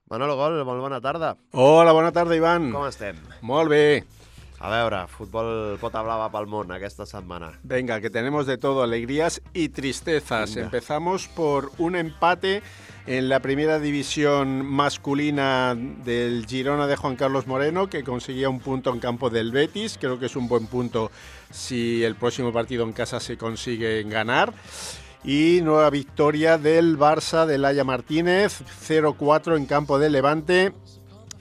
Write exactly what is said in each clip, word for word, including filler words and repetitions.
Manolo Gol, molt bona tarda. Hola, bona tarda, Ivan. Com estem? Molt bé. A veure, futbol pota blava pel món aquesta setmana. Venga, que tenemos de todo, alegrías y tristezas. Venga. Empezamos por un empate en la primera división masculina del Girona de Juan Carlos Moreno, que conseguía un punto en campo del Betis. Creo que es un buen punto si el próximo partido en casa se consigue ganar. Y nueva victoria del Barça de Laia Martínez, cero cuatro en campo del Levante,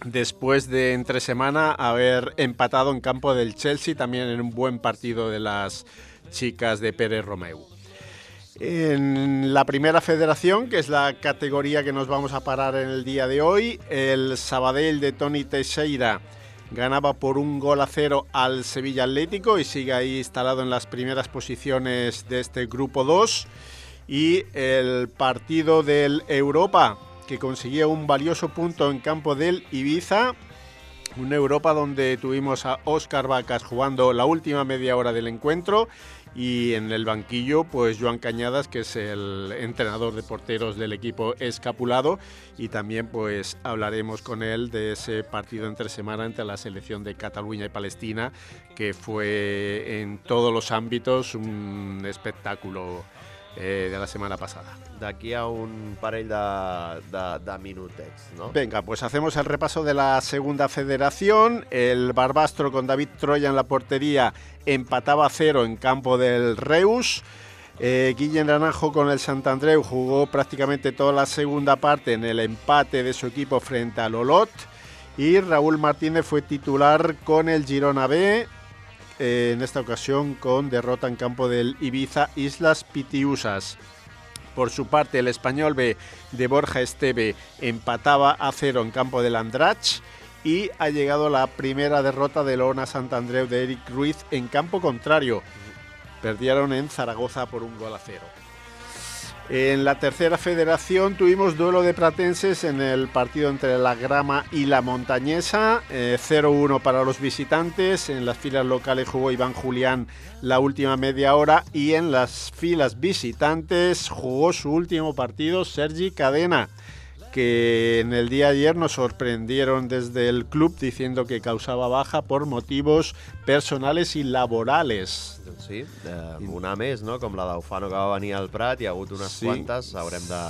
después de entre semana haber empatado en campo del Chelsea, también en un buen partido de las chicas de Pérez Romeu. En la primera federación, que es la categoría que nos vamos a parar en el día de hoy, el Sabadell de Toni Teixeira ganaba por un gol a cero al Sevilla Atlético y sigue ahí instalado en las primeras posiciones de este grupo dos. Y el partido del Europa, que conseguía un valioso punto en campo del Ibiza, un Europa donde tuvimos a Óscar Vacas jugando la última media hora del encuentro, y en el banquillo pues Joan Cañadas, que es el entrenador de porteros del equipo escapulado, y también pues hablaremos con él de ese partido entre semana entre la selección de Cataluña y Palestina, que fue en todos los ámbitos un espectáculo Eh, de la semana pasada. D'aquí a un parell de, de, de minutets, ¿no? Venga, pues hacemos el repaso de la segunda federación. El Barbastro, con David Troya en la portería, empataba a cero en campo del Reus. Eh, Guillem Naranjo con el Sant Andreu jugó prácticamente toda la segunda parte en el empate de su equipo frente al Olot. Y Raúl Martínez fue titular con el Girona B, Eh, en esta ocasión con derrota en campo del Ibiza Islas Pitiusas. Por su parte, el Español B de Borja Esteve empataba a cero en campo del Andratx, y ha llegado la primera derrota del Ona Sant Andreu de Eric Ruiz en campo contrario. Perdieron en Zaragoza por un gol a cero. En la tercera federación tuvimos duelo de pratenses en el partido entre la Grama y la Montañesa, eh, cero uno para los visitantes. En las filas locales jugó Iván Julián la última media hora, y en las filas visitantes jugó su último partido Sergi Cadena, que en el día de ayer nos sorprendieron desde el club diciendo que causaba baja por motivos personales y laborales. Doncs sí, eh, una més, no? Com la d'Ufano, que va venir al Prat, hi ha hagut unes Sí. quantes, haurem de,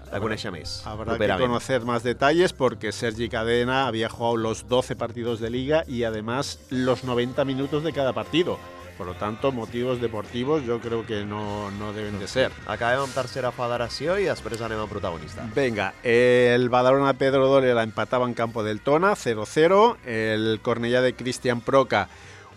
de conèixer més. Habrá que properament. conocer más detalles, porque Sergi Cadena había jugado los doce partidos de liga y además los noventa minutos de cada partido. Por lo tanto, motivos deportivos yo creo que no, no deben de ser. Acabem amb tercera federació i després anem a protagonista. Venga, el Badalona Pedro Dole la empataba en campo del Tona, cero cero. El Cornellá de Cristian Proca,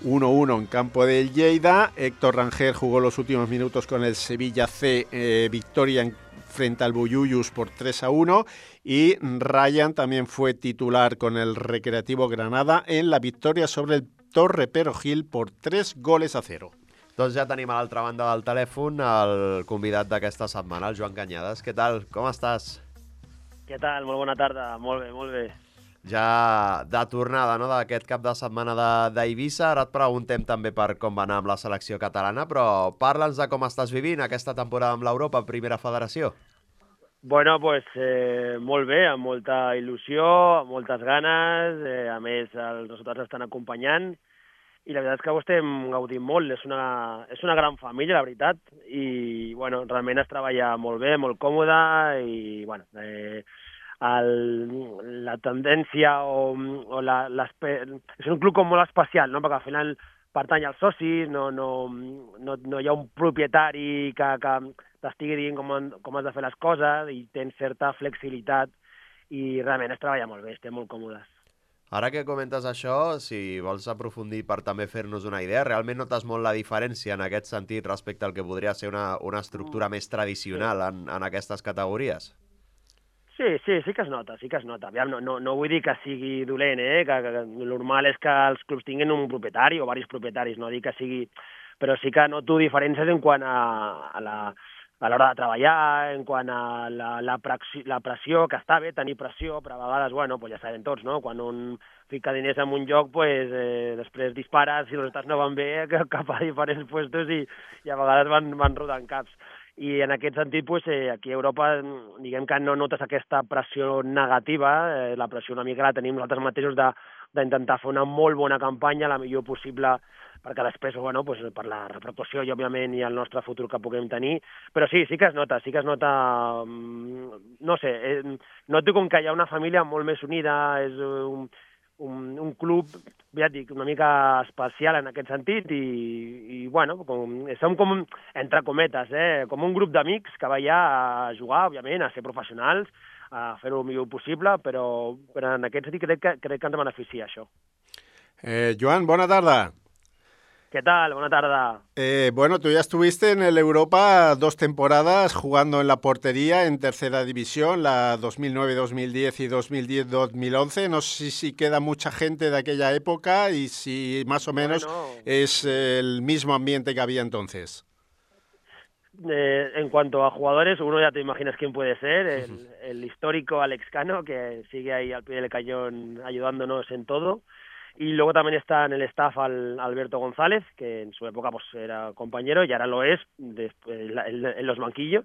uno uno en campo del Lleida. Héctor Rangel jugó los últimos minutos con el Sevilla C, eh, victoria en, frente al Buyuyus por tres a uno. Y Ryan también fue titular con el Recreativo Granada en la victoria sobre el Torre Perojil por tres goles a cero. Doncs ja tenim a l'altra banda del telèfon el convidat d'aquesta setmana, el Joan Cañadas. Què tal? Com estàs? Què tal? Molt bona tarda. Molt bé, molt bé. Ja de tornada, no?, d'aquest cap de setmana de- d'Eivissa. Ara et preguntem també per com va anar amb la selecció catalana, però parla'ns de com estàs vivint aquesta temporada amb l'Europa en Primera Federació. Bueno, pues, eh, molt bé, amb molta il·lusió, amb moltes ganes, eh, a més els resultats estan acompanyant, i la veritat és que ho estem gaudint molt. És una, és una gran família, la veritat, i bueno, realment es treballa molt bé, molt còmode, i bueno, eh, el, la tendència o, o la, és un club com molt especial, no? Perquè al final pertany als socis, no, no, no, no hi ha un propietari que, que t'estigui dient com, com has de fer les coses, i tens certa flexibilitat, i realment es treballa molt bé, estem molt còmodes. Ara que comentes això, si vols aprofundir per també fer-nos una idea, realment notes molt la diferència en aquest sentit respecte al que podria ser una, una estructura més tradicional en, en aquestes categories? Sí, sí, sí que es nota, sí que es nota. Aviam, no, no, no vull dir que sigui dolent, eh? que, que, que el normal és que els clubs tinguin un propietari o diversos propietaris, no dic que sigui... Però sí que noto diferències en quant a, a la a l'hora de treballar, en quant a la, la, pressió, la pressió, que està bé tenir pressió, però a vegades, bueno, pues ja sabem tots, no? Quan un fica diners en un lloc, pues, eh, després dispara, si els resultats no van bé, cap a diferents puestos, i, i a vegades van, van rodant caps. i en aquest sentit, pues, eh, aquí a Europa, diguem que no notes aquesta pressió negativa, eh, la pressió una mica la tenim nosaltres mateixos de d'intentar fer una molt bona campanya, la millor possible, perquè després, bueno, pues, per la repercussió i, òbviament, i el nostre futur que puguem tenir. Però sí, sí que es nota, sí que es nota, no sé, eh, noto com que hi ha una família molt més unida, és un, un, un club, ja et dic, una mica especial en aquest sentit, i, i bueno, com, som com, entre cometes, eh, com un grup d'amics que va allà a jugar, òbviament, a ser professionals, a fer-ho el millor possible, però, però en aquest sentit crec que, crec que ens beneficia això. Eh, Joan, bona tarda. ¿Qué tal? Buena tarde. Eh, bueno, tú ya estuviste en el Europa dos temporadas jugando en la portería en tercera división, la dos mil nueve dos mil diez y dos mil diez dos mil once. No sé si queda mucha gente de aquella época y si más o menos bueno, es el mismo ambiente que había entonces. Eh, en cuanto a jugadores, uno ya te imaginas quién puede ser, el, el histórico Alex Cano, que sigue ahí al pie del cañón ayudándonos en todo. Y luego también está en el staff al Alberto González, que en su época pues era compañero y ahora lo es después, en, en los banquillos.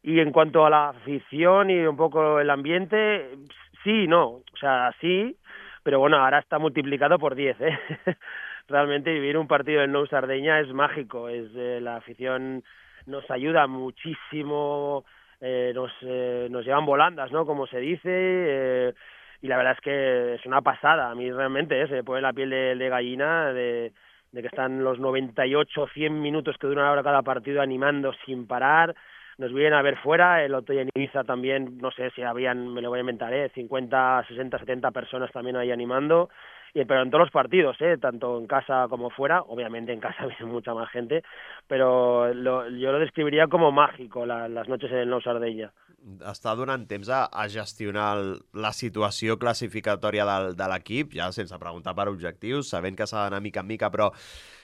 Y en cuanto a la afición y un poco el ambiente, sí, no, o sea, sí, pero bueno, ahora está multiplicado por diez, ¿eh? Realmente vivir un partido en Nou Sardeña es mágico, es eh, la afición nos ayuda muchísimo, eh, nos, eh, nos llevan volandas, ¿no? Como se dice, eh, y la verdad es que es una pasada. A mí realmente eh, se me pone la piel de, de gallina de, de que están los noventa y ocho, cien minutos que duran ahora cada partido animando sin parar. Nos vienen a ver fuera, el otro día en Ibiza también, no sé si habían, me lo voy a inventar, ¿eh? cincuenta, sesenta, setenta personas también ahí animando, y, pero en todos los partidos, ¿eh? Tanto en casa como fuera. Obviamente en casa viene mucha más gente, pero lo, yo lo describiría como mágico, la, las noches en el Nou Sardeña. Està donant temps a, a gestionar el, la situació classificatòria del, de l'equip, ja sense preguntar per objectius, sabent que s'ha d'anar mica en mica, però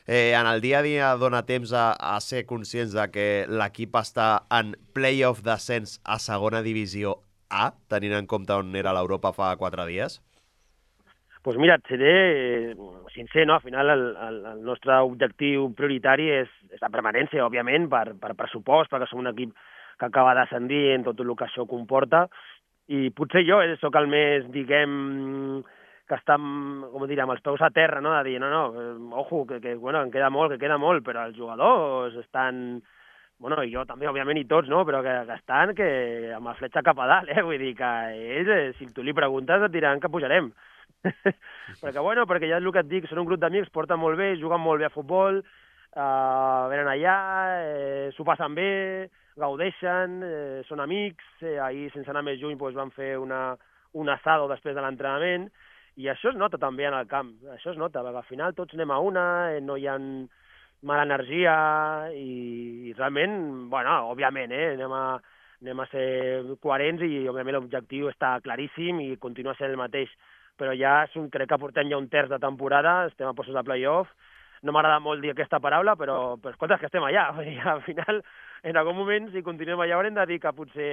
eh, en el dia a dia dona temps a, a ser conscients de que l'equip està en playoff d'ascens a segona divisió A, tenint en compte on era l'Europa fa quatre dies? Pues mira, et seré eh, sincer, no? Al final el, el, el nostre objectiu prioritari és, és la permanència, òbviament, per, per pressupost, perquè som un equip que acaba d'ascendir en tot el que això comporta, i potser jo eh, sóc el més, diguem, que està, com dir, amb els peus a terra, no? De dir, no, no, eh, ojo, que, que bueno, en queda molt, que queda molt, però els jugadors estan, bueno, i jo també, òbviament, i tots, no? Però que, que estan que amb la fletxa cap a dalt, eh? Vull dir que ells, eh, si tu li preguntes, et diran que pujarem. perquè, bueno, perquè ja és el que et dic, són un grup d'amics, porten molt bé, juguen molt bé a futbol, uh, venen allà, eh, s'ho passen bé, gaudeixen, eh, són amics, eh, ahir, sense anar més lluny, doncs, van fer una, un asado després de l'entrenament, i això es nota també en el camp, això es nota, perquè al final tots anem a una, eh, no hi ha mala energia, i, i realment, bueno, òbviament, eh, anem a, anem a ser coherents, i òbviament l'objectiu està claríssim i continua sent el mateix, però ja un, crec que portem ja un terç de temporada, estem a postos de play-off, no m'agrada molt dir aquesta paraula, però, però escolta, és que estem allà, i al final, en algun moment, si continuem allà, haurem de dir que potser,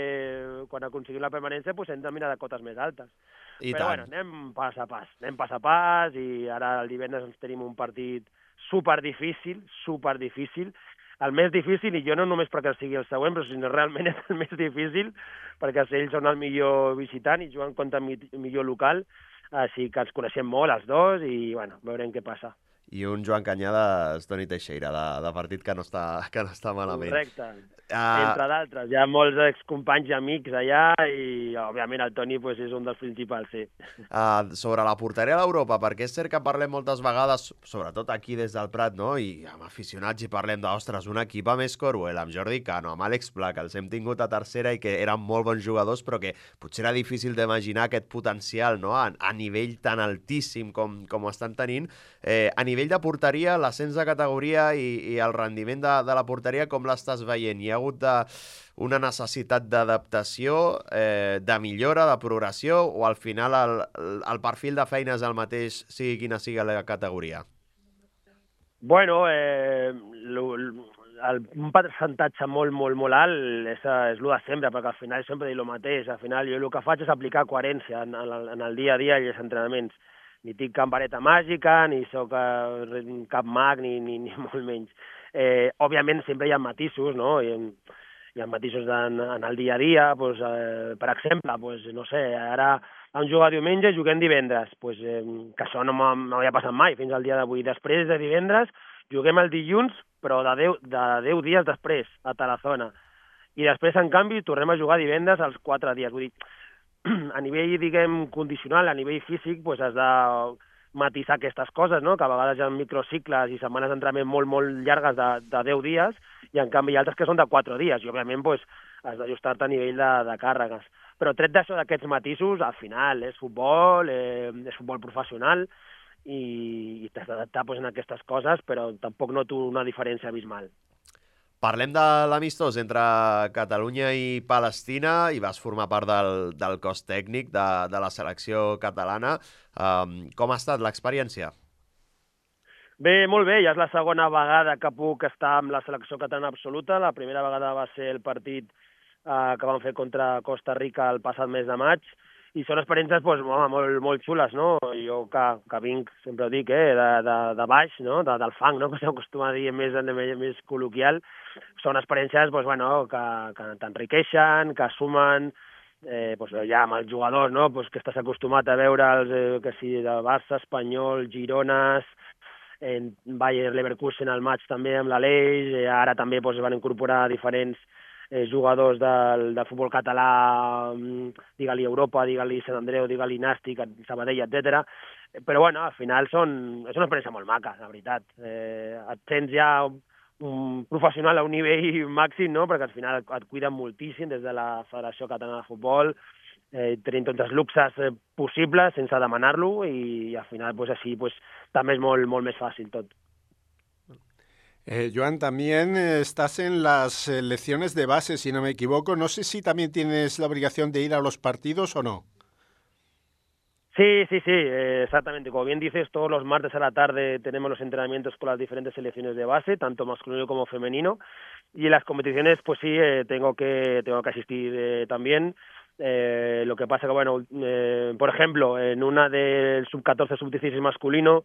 quan aconseguim la permanència, pues, hem de mirar de cotes més altes. I però tant. bueno, anem pas a pas, anem pas a pas, i ara el divendres ens tenim un partit super difícil, super difícil, el més difícil, i jo no només perquè sigui el següent, però sinó realment és el més difícil, perquè ells són el millor visitant i juguen contra el millor local, així que ens coneixem molt els dos i, bueno, veurem què passa. I un Joan Cañada, Toni Teixeira, de, de partit que no està, que no està malament. Correcte. Uh, Entre d'altres. Hi ha molts excompanys i amics allà i, òbviament, el Toni pues, és un dels principals, sí. Uh, sobre la porteria a l'Europa, perquè és cert que parlem moltes vegades, sobretot aquí des del Prat, no? I amb aficionats i parlem d'ostres, un equip amb Escoruel, amb Jordi Cano, amb Àlex Pla, que els hem tingut a tercera i que eren molt bons jugadors, però que potser era difícil d'imaginar aquest potencial, no? A, a nivell tan altíssim com, com ho estan tenint. Eh, a nivell de porteria, l'ascens de categoria i, i el rendiment de, de la porteria, com l'estàs veient? Hi ha hagut de, una necessitat d'adaptació, eh, de millora, de progressió, o al final el, el perfil de feina és el mateix, sigui quina sigui la categoria? Bueno, eh, lo, el, un percentatge molt, molt, molt alt és, és el de sempre, perquè al final sempre dic el mateix. Al final jo el que faig és aplicar coherència en, en, en el dia a dia i els entrenaments. Ni tinc cap vareta màgica, ni sóc cap mag, ni, ni, ni molt menys. Eh, òbviament sempre hi ha matisos, no? I, hi ha matisos en, en el dia a dia, doncs, eh, per exemple, doncs, no sé, ara vam jugar diumenge, juguem divendres, doncs, eh, que això no m'havia passat mai fins al dia d'avui. Després de divendres, juguem el dilluns, però de deu, de deu dies després, a Tarazona. I després, en canvi, tornem a jugar divendres als quatre dies. Vull dir, a nivell, diguem, condicional, a nivell físic, doncs has de matisar aquestes coses, no? Que a vegades hi ha microcicles i setmanes d'entrenament molt, molt llargues de, de deu dies, i en canvi hi ha altres que són de quatre dies, i òbviament doncs, has d'ajustar-te a nivell de, de càrregues. Però tret d'això, d'aquests matisos, al final és futbol, eh, és futbol professional, i, i t'has d'adaptar pues, en aquestes coses, però tampoc noto una diferència abismal. Parlem de l'amistós entre Catalunya i Palestina i vas formar part del, del cos tècnic de, de la selecció catalana. Um, com ha estat l'experiència? Bé, molt bé, ja és la segona vegada que puc estar amb la selecció catalana absoluta. La primera vegada va ser el partit eh, que vam fer contra Costa Rica el passat mes de maig, i són experiències doncs, home, molt, molt xules, no? Jo que, que vinc, sempre ho dic, eh, de, de, de baix, no? de, del fang, no? Que s'acostuma a dir més, més, més col·loquial, són experiències doncs, bueno, que, que t'enriqueixen, que sumen, eh, doncs, ja amb els jugadors, no? Doncs, que estàs acostumat a veure'ls, eh, que sigui de Barça, Espanyol, Girones, en Bayer Leverkusen al maig també amb l'Aleix, eh, ara també doncs, van incorporar diferents Eh, jugadors del, del futbol català, digue-li Europa, digue-li Sant Andreu, digue-li Nàstic, Sabadell, etcètera. Però, bueno, al final són, és una experiència molt maca, la veritat. Eh, et sents ja un professional a un nivell màxim, no?, perquè al final et, et cuiden moltíssim des de la Federació Catalana de Futbol, eh, tenim tots els luxes eh, possibles sense demanar-lo, i, i al final, pues, així, pues, també és molt, molt més fàcil tot. Eh, Joan, también eh, estás en las eh, lecciones de base, si no me equivoco. No sé si también tienes la obligación de ir a los partidos o no. Sí, sí, sí, eh, exactamente. Como bien dices, todos los martes a la tarde tenemos los entrenamientos con las diferentes selecciones de base, tanto masculino como femenino. Y en las competiciones, pues sí, eh, tengo que tengo que asistir eh, también. Eh, lo que pasa que, bueno, eh, por ejemplo, en una del sub catorce, sub dieciséis masculino,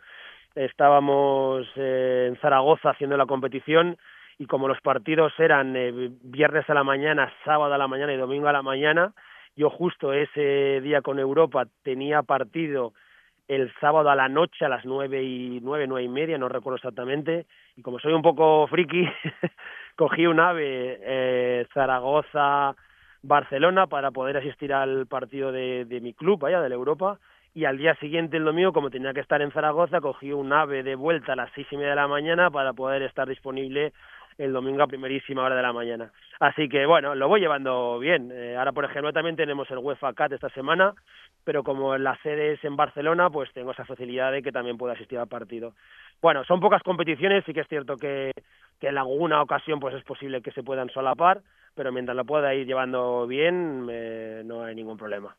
estábamos eh, en Zaragoza haciendo la competición, y como los partidos eran eh, viernes a la mañana, sábado a la mañana y domingo a la mañana, yo justo ese día con Europa tenía partido el sábado a la noche a las nueve y nueve, nueve y media, no recuerdo exactamente, y como soy un poco friki, cogí un AVE eh, Zaragoza, Barcelona, para poder asistir al partido de, de mi club, allá de la Europa. Y al día siguiente, el domingo, como tenía que estar en Zaragoza, cogí un AVE de vuelta a las seis y media de la mañana para poder estar disponible el domingo a primerísima hora de la mañana. Así que, bueno, lo voy llevando bien. Eh, ahora, por ejemplo, también tenemos el UEFA Cat esta semana, pero como la sede es en Barcelona, pues tengo esa facilidad de que también puedo asistir al partido. Bueno, son pocas competiciones, sí que es cierto que, que en alguna ocasión pues es posible que se puedan solapar, pero mientras lo pueda ir llevando bien, eh, no hay ningún problema.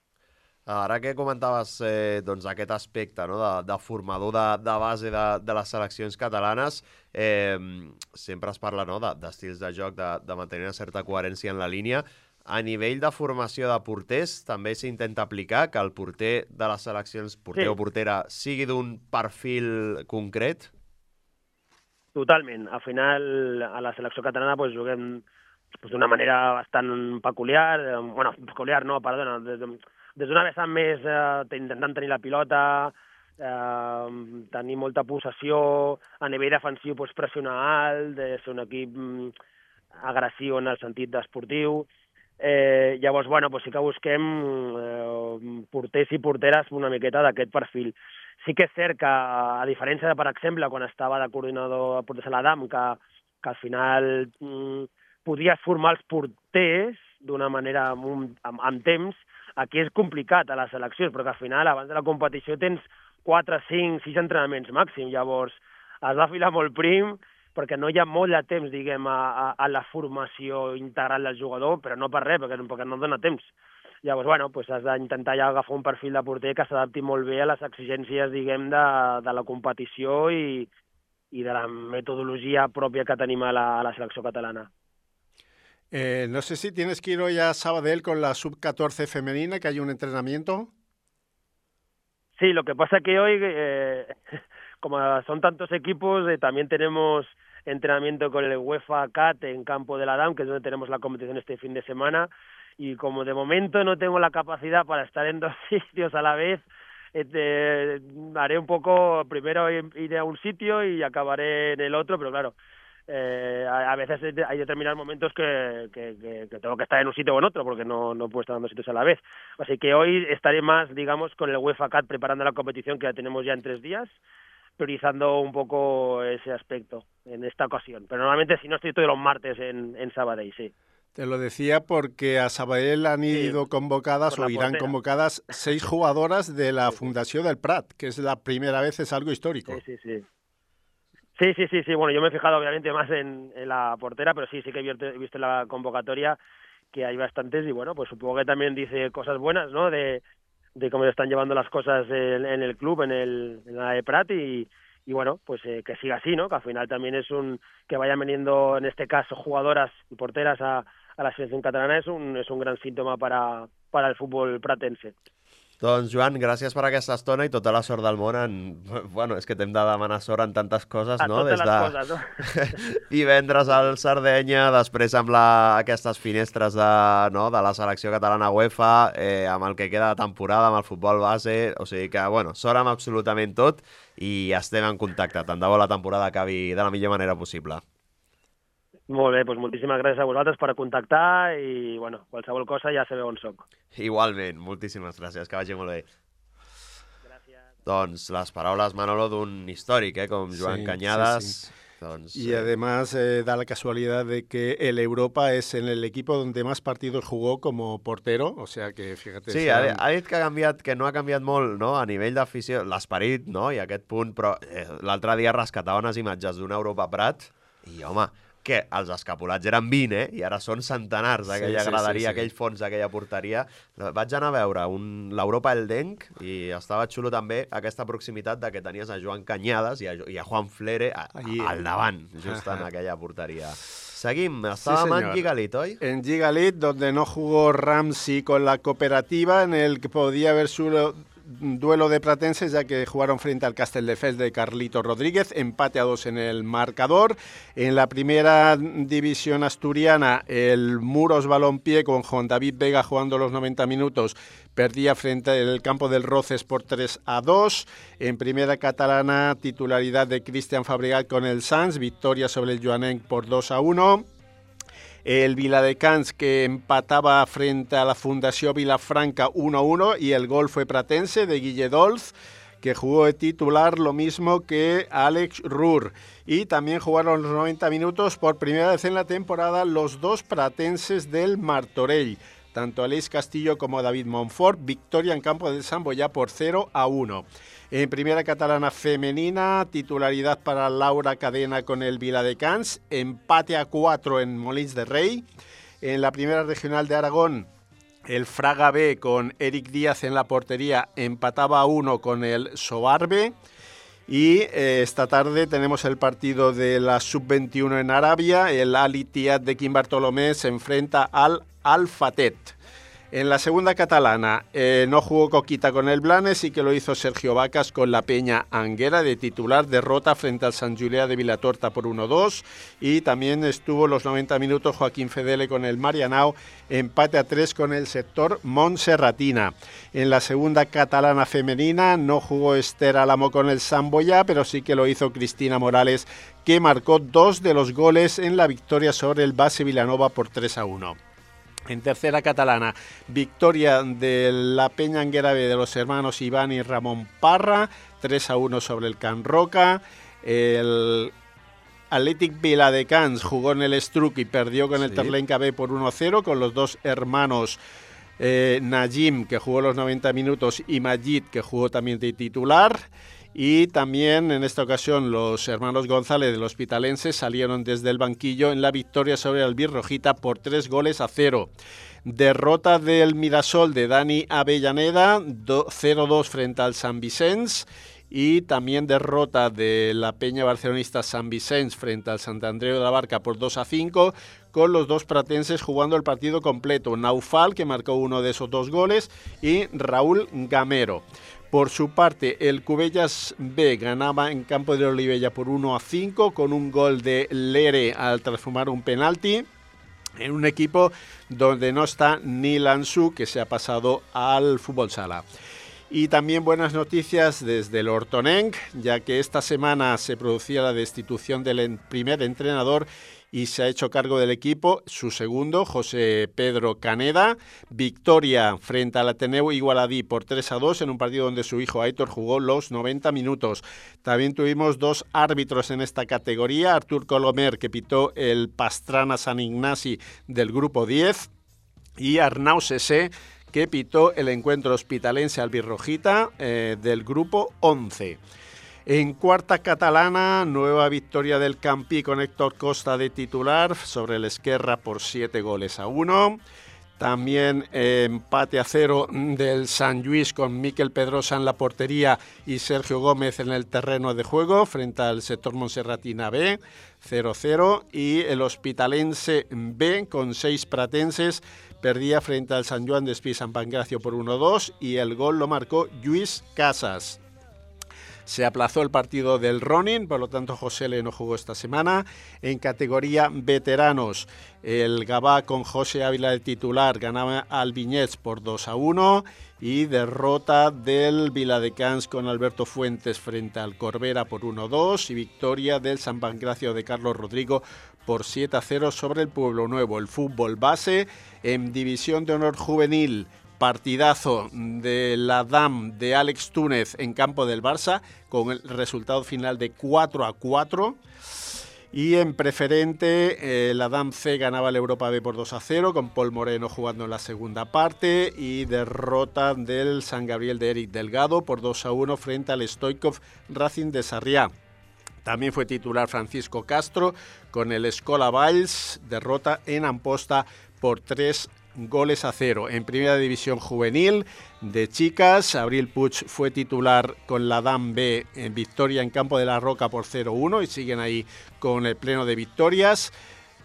Ara que comentaves eh, doncs, aquest aspecte, no?, de, de formador de, de base de, de les seleccions catalanes, eh, sempre es parla, no?, d'estils de, de joc, de, de mantenir una certa coherència en la línia. A nivell de formació de porters, també s'intenta aplicar que el porter de les seleccions, porter sí. o portera, sigui d'un perfil concret? Totalment. Al final, a la selecció catalana pues, juguem pues, d'una manera bastant peculiar, eh, bueno, peculiar no, perdona, des de, des d'una vessant més eh, intentant tenir la pilota, eh, tenir molta possessió, a nivell defensiu pues, pressionar alt, de ser un equip mm, agressiu en el sentit esportiu. Eh, llavors, bueno, pues sí que busquem eh, porters i porteres una miqueta d'aquest perfil. Sí que és cert que, a diferència de, per exemple, quan estava de coordinador a Porters a l'Adam, que, que al final mm, podies formar els porters d'una manera amb, amb, amb temps, aquí és complicat a les seleccions, perquè al final, abans de la competició, tens quatre, cinc, sis entrenaments màxim. Llavors, has de filar molt prim, perquè no hi ha molt de temps, diguem, a, a, a la formació integral del jugador, però no per res, perquè, perquè no dona temps. Llavors, bueno, pues has d'intentar ja agafar un perfil de porter que s'adapti molt bé a les exigències, diguem, de, de la competició i, i de la metodologia pròpia que tenim a la, a la selecció catalana. Eh, no sé si tienes que ir hoy a Sabadell con la sub catorce femenina, que hay un entrenamiento. Sí, lo que pasa que hoy, eh, como son tantos equipos, eh, también tenemos entrenamiento con el UEFA Cat en Campo de la Dam, que es donde tenemos la competición este fin de semana, y como de momento no tengo la capacidad para estar en dos sitios a la vez, eh, haré un poco, primero iré a un sitio y acabaré en el otro, pero claro, Eh, a, a veces hay determinados momentos que, que, que, que tengo que estar en un sitio o en otro porque no, no puedo estar en dos sitios a la vez. Así que hoy estaré más, digamos, con el UEFA Cat preparando la competición que la tenemos ya en tres días, priorizando un poco ese aspecto en esta ocasión. Pero normalmente si no estoy todos los martes en, en Sabadell, sí. Te lo decía porque a Sabadell han ido sí, convocadas o irán portera. convocadas seis jugadoras de la sí, Fundació del Prat, que es la primera vez, es algo histórico. Sí, sí, sí. Sí, sí, sí, sí. Bueno, yo me he fijado obviamente más en, en la portera, pero sí, sí que he visto, he visto en la convocatoria que hay bastantes y bueno, pues supongo que también dice cosas buenas, ¿no? De, de cómo están llevando las cosas en, en el club, en, el, en la de Prat y, y bueno, pues eh, que siga así, ¿no? Que al final también es un, que vayan veniendo en este caso jugadoras y porteras a, a la selección catalana es un, és un gran símptoma para, para el futbol pratense. Doncs, Joan, gràcies per aquesta estona i tota la sort del món en... Bueno, és que t'hem de demanar sort en tantes coses, a no? Totes Des les de... coses, no? Divendres al Sardenya, després amb la... aquestes finestres de, no? de la selecció catalana UEFA, eh, amb el que queda de temporada, amb el futbol base... O sigui que, bueno, sort amb absolutament tot i estem en contacte. Tant de bo la temporada acabi de la millor manera possible. Molt bé, doncs moltíssimes gràcies a vosaltres per contactar i, bueno, qualsevol cosa ja sabeu on soc. Igualment, moltíssimes gràcies, que vagi molt bé. Gràcies. Doncs les paraules, Manolo, d'un històric, eh, com Joan sí, Cañadas. Sí, sí. Entonces, y además eh, da la casualidad de que el Europa es en el equipo donde más partidos jugó como portero, o sea que fíjate... Sí, seran... ha, ha dit que, ha canviat, que no ha canviat molt, no?, a nivell d'afició, l'esperit, no?, i aquest punt, però eh, l'altre dia rescatava unes imatges d'una Europa Prat i, home, que els escapulats eren vint, eh? I ara són centenars, aquella sí, sí, graderia, sí, sí. aquell fons, aquella porteria. Vaig anar a veure un... l'Europa Eldenc i estava xulo també aquesta proximitat de que tenies a Joan Cañadas i a, i a Juan Flere a, a, al davant, just en aquella porteria. Seguim, estàvem sí, en Gigalit, ¿hoy? En Gigalit, donde no jugó Ramsey con la cooperativa, en el que podía haber sido duelo de pratenses, ya que jugaron frente al Castelldefels de Carlito Rodríguez, empate a dos en el marcador. En la primera división asturiana, el Muros Balompié, con Juan David Vega jugando los noventa minutos, perdía frente al campo del Roces por tres a dos. En primera catalana, titularidad de Cristian Fabregat con el Sants, victoria sobre el Joanenc por dos a uno. El Viladecans, que empataba frente a la Fundació Vilafranca uno a uno, y el gol fue pratense de Guille Dolz, que jugó de titular lo mismo que Alex Ruhr. Y también jugaron los noventa minutos por primera vez en la temporada los dos pratenses del Martorell, tanto Aleix Castillo como David Montfort, victoria en campo del Sant Boià por cero a uno. En primera catalana femenina, titularidad para Laura Cadena con el Viladecans, empate a cuatro en Molins de Rey. En la primera regional de Aragón, el Fraga B con Eric Díaz en la portería empataba a uno con el Soarbe. Y eh, esta tarde tenemos el partido de la sub veintiuno en Arabia. El Al Ittihad de Quim Bartolomé se enfrenta al Al-Fatet. En la segunda catalana eh, no jugó Coquita con el Blanes, sí que lo hizo Sergio Vacas con la Peña Anguera de titular, derrota frente al Sant Julià de Vilatorta por uno a dos, y también estuvo los noventa minutos Joaquín Fedele con el Marianao, empate a tres con el sector Montserratina. En la segunda catalana femenina no jugó Esther Álamo con el Sant Boià, pero sí que lo hizo Cristina Morales, que marcó dos de los goles en la victoria sobre el Base Vilanova por tres a uno. En tercera catalana, victoria de la Peña Anguera B de los hermanos Iván y Ramón Parra, tres a uno sobre el Can Roca. El Athletic Viladecans jugó en el Estruc y perdió con el sí. Terlenca B por uno a cero, con los dos hermanos eh, Najim, que jugó los noventa minutos, y Majid, que jugó también de titular. Y también en esta ocasión los hermanos González del Hospitalense salieron desde el banquillo en la victoria sobre el Albirrojita por tres goles a cero. Derrota del Mirasol de Dani Avellaneda, cero dos frente al Sant Vicenç. Y también derrota de la Peña Barcelonista Sant Vicenç frente al Sant Andreu de la Barca por dos a cinco, con los dos pratenses jugando el partido completo. Naufal, que marcó uno de esos dos goles, y Raúl Gamero. Por su parte, el Cubellas B ganaba en campo de Olivella por uno a cinco con un gol de Lere al transformar un penalti en un equipo donde no está ni Lanzú, que se ha pasado al fútbol sala. Y también buenas noticias desde el Hortonenc, ya que esta semana se producía la destitución del primer entrenador y se ha hecho cargo del equipo su segundo, José Pedro Caneda. Victoria frente al Ateneu Igualadí por tres a dos en un partido donde su hijo Aitor jugó los noventa minutos. También tuvimos dos árbitros en esta categoría, Artur Colomer, que pitó el Pastrana San Ignasi del grupo diez, y Arnau Sesé, que pitó el encuentro hospitalense albirrojita eh, del grupo once. En cuarta catalana, nueva victoria del Campí con Héctor Costa de titular sobre el Esquerra por siete goles a uno. También eh, empate a cero del Sant Lluís con Miquel Pedrosa en la portería y Sergio Gómez en el terreno de juego frente al sector Montserratina B, cero cero. Y el Hospitalense B con seis pratenses perdía frente al Sant Joan d'Espí San Pancracio por uno dos y el gol lo marcó Lluís Casas. Se aplazó el partido del Ronin, por lo tanto José Le no jugó esta semana. En categoría veteranos, el Gavà con José Ávila de titular ganaba al Vinyets por dos a uno y derrota del Viladecans con Alberto Fuentes frente al Corbera por uno dos y victoria del San Pancracio de Carlos Rodrigo por siete a cero sobre el Pueblo Nuevo. El fútbol base en División de Honor Juvenil. Partidazo de la D A M de Àlex Túnez en campo del Barça con el resultado final de cuatro a cuatro. Y en preferente, eh, la D A M C ganaba el Europa B por dos a cero con Paul Moreno jugando en la segunda parte y derrota del San Gabriel de Eric Delgado por dos a uno frente al Stoikov Racing de Sarriá. También fue titular Francisco Castro con el Escola Valls, derrota en Amposta por tres goles a cero. En primera división juvenil de chicas, Abril Puig fue titular con la D A M B en victoria en campo de la Roca por cero uno y siguen ahí con el pleno de victorias.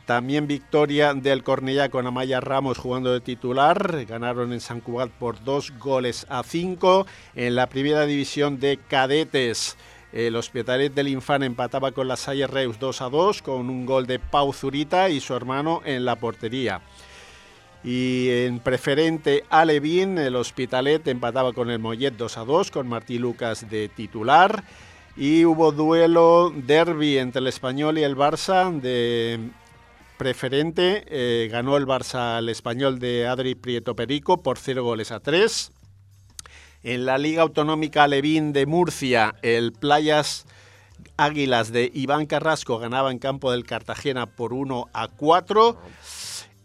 También victoria del Cornellá con Amaya Ramos jugando de titular. Ganaron en Sant Cugat por dos goles a cinco. En la primera división de cadetes, el Hospitalet del Infant empataba con la Salle Reus dos a dos con un gol de Pau Zurita y su hermano en la portería. Y en preferente Alevín, el Hospitalet empataba con el Mollet dos a dos con Martí Lucas de titular. Y hubo duelo derbi entre el Español y el Barça de preferente. Eh, ganó el Barça al Español de Adri Prieto Perico por cero goles a tres. En la Liga Autonómica Alevín de Murcia, el Playas Águilas de Iván Carrasco ganaba en campo del Cartagena por uno a cuatro.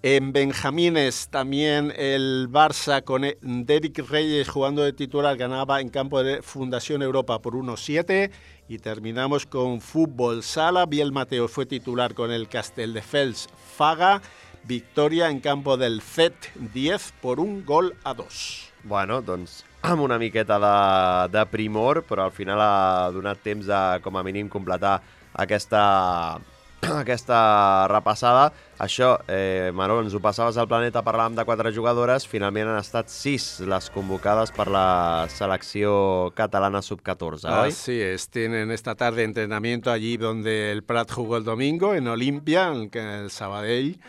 En Benjamines también el Barça con Derek Reyes jugando de titular ganaba en campo de Fundación Europa por uno a siete. Y terminamos con fútbol sala. Biel Mateo fue titular con el Castelldefels Faga. Victoria en campo del C E T diez por un gol a dos. Bueno, doncs amb una miqueta de, de primor, però al final ha donat temps de, com a mínim, completar aquesta... aquesta repassada. Això, eh, Manol, ens ho passaves al Planeta, parlàvem de quatre jugadores, finalment han estat sis les convocades per la selecció catalana sub catorze, ¿hoy? Así es, tienen esta tarde entrenamiento allí donde el Prat jugó el domingo, en Olimpia, en el Sabadell,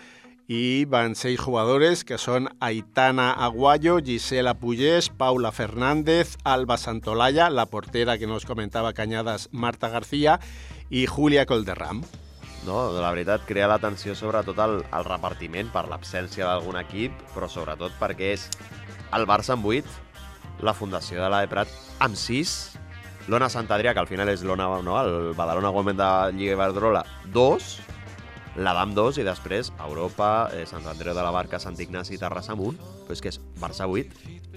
y van seis jugadores que son Aitana Aguayo, Gisela Puyés, Paula Fernández, Alba Santolaya, la portera que nos comentaba Cañadas, Marta García, y Julia Colderram. No, la veritat, crea l'atenció sobretot al, al repartiment per l'absència d'algun equip, però sobretot perquè és el Barça amb vuit, la Fundació de l'A E Prat amb sis, l'Ona Sant Adrià, que al final és l'Ona, no, el Badalona Women de Lliga Iberdrola, dos, la D A M dos i després Europa, eh, Sant Andreu de la Barca, Sant Ignasi i Terrassa amb un, però és que és Barça vuit,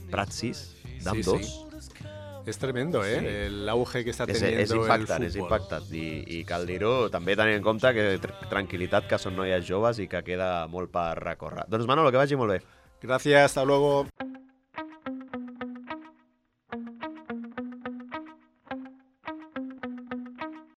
Prat sis, D A M dos... Sí, sí. Es tremendo, ¿eh? Sí. El auge que está és, teniendo és impactant, el és fútbol. impactant. I, i cal dir-ho, també tenint en compte que tranquil·litat, que són noies joves i que queda molt per recórrer. Doncs Manolo, que vagi molt bé. Gracias, hasta luego.